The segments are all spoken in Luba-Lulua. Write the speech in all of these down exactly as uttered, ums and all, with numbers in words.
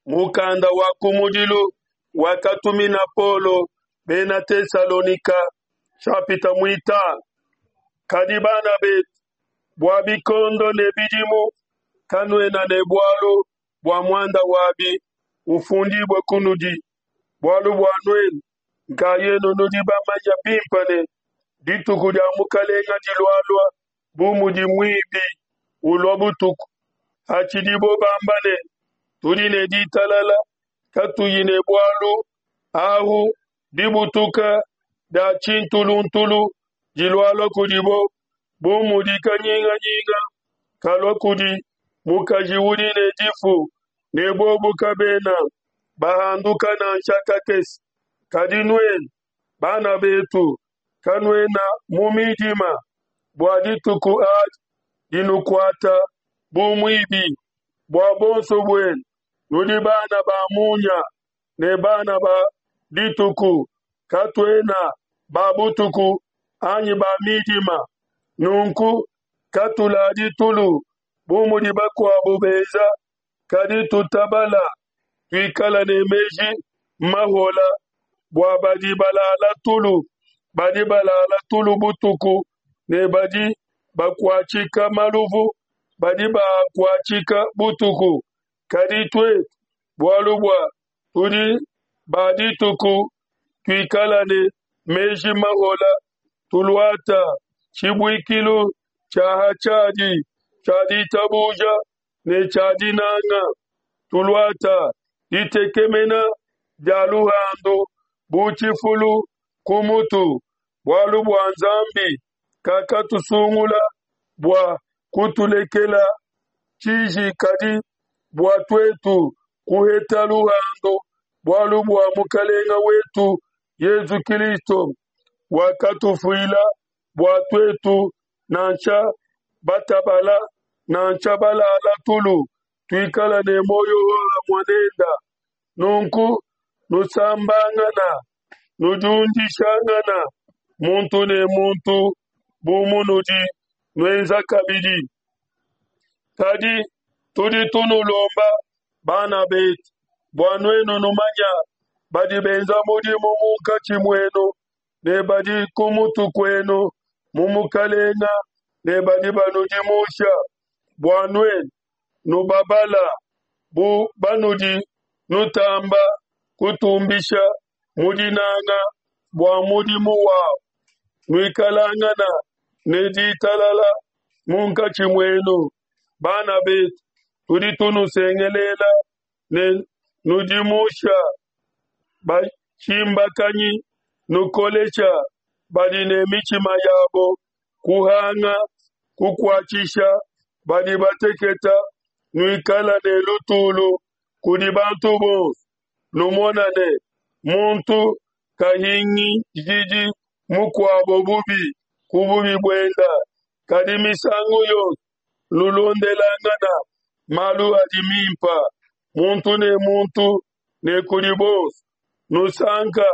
Mukanda wa kumudilu wakatumina Paulo bena Tesalonika nshapita muitanu. Kadi bana betu, bua bikondo ne bidimu kanuena ne bualu bua muanda wabi ufundibue kunudi, bualu bua nuenu nkayenu nudi bamanye bimpe ne, Dituku dia Mukelenge dilualua bu mudi muibi ulua butuku. Hatshidibo bamba ne, Tudi ne ditalala, katuyi ne bualu, ahu dibutuka dia tshintuluntulu dilualua kudibo, bu mudi kanyinganyinga kalua kudi mukaji udi ne difu, ne bobo kabena bahanduka nansha kakese. Kadi nuenu, bana betu, kanuena mu midima, bua dituku adi dinukuata bu muibi. Bua buonso buenu nudi bana ba munya ne bana ba dituku, katuena ba butuku anyi ba midima. Nunku katuladi tulu bu mudi bakuabo benza, kadi tutabala, tuikala ne meji mahola. Bua badi balala tulu badi balala tulu butuku, ne badi bakuatshika maluvu badi baakuatshika butuku. Kadi tuetu, bualu bua tudi ba dituku, tuikala ne meji mahola, tuluata tshibuikilu tshia ha tshiadi tshia ditabuja ne tshia dinanga, tuluata ditekemena dia luhandu bu tshifulu ku mutu, bualu bua Nzambi kakatusungula bua kutulekela tshiji, kadi bua tuetu kuheta luhandu bualu bua Mukelenge wetu Yesu Kilisto, wakatufuila bua tuetu, nansha batabala nansha balala tulu, tuikala ne muoyo hohamue nende. Nunku nusambangana, nudiundishangana muntu ne muntu, bu munudi nuenza kabidi. Kadi tudi tunulomba, bana betu, bua nuenu numanya badi benza mudimu munkatshi muenu ne badi ku mutu kuenu mu Mukelenge ne badi banudimusha, bua nuenu nubabala bu banudi nutamba kutumbisha mu dinanga bua mudimu wabo. Nuikalangana ne ditalala munkatshi muenu. Bana betu, tudi tunusengelela ne nudimusha batshimbakanyi, nukolesha badi ne mitshima yabo kuhanga, kukuatshisha badi bateketa, nuikala ne lutulu kudi bantu bonso. Numona ne, muntu kahingishidi mukuabo bubi ku bubi buenda, kadi misangu yonso nulondelangana malu adi mimpa, muntu ne muntu ne kudi bonso. Nusanka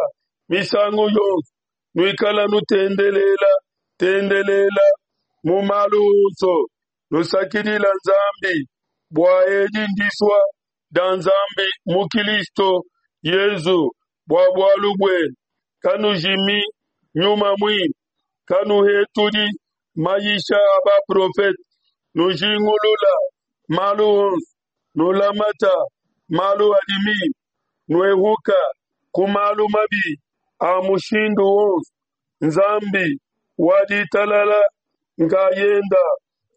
misangu yonso, nuikala nutendelela tendelela mu malu onso, nusakidila Nzambi, bua edi ndisua dia Nzambi mu Kilisto Yesu bua bualu buenu. Kanujimi Nyuma Muimpe, kanuhetudi mayisha a baprofete, nujingulula malu onso, nulamata malu adi mimpe, nuehuka ku malu mabi a mushindu wonso. Nzambi wa ditalala nkayenda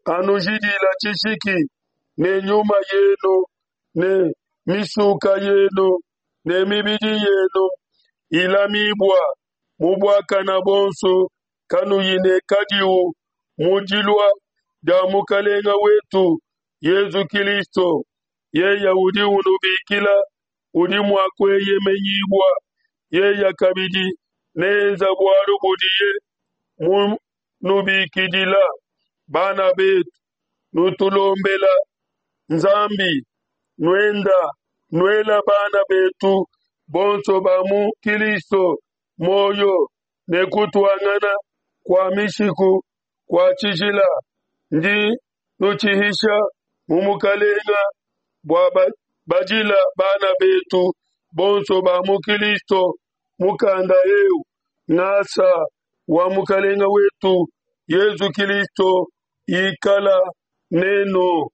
anujidila tshishiki ne nyuma yenu ne misuka yenu ne mibidi yenu ilamibua mu buakana buonso, kanuyi ne kadiwu mu dilua dia Mukelenge wetu Yesu Kilisto. Yeye udi unubikila udi mua kueyemenyibua, yeye kabidi neenza bualu budiye munubikidila. Bana betu, nutulombela Nzambi, nuenda nuela bana betu bonso ba mu Kilisto muoyo ne kutuangana kua mishiku kua tshijila. Ndi nutshihisha mu Mukelenge bua Badila bana betu bonso ba mu Kilisto mukanda eu, ngasa wa mukalenga wetu Yezu Kilisto ikala nenu.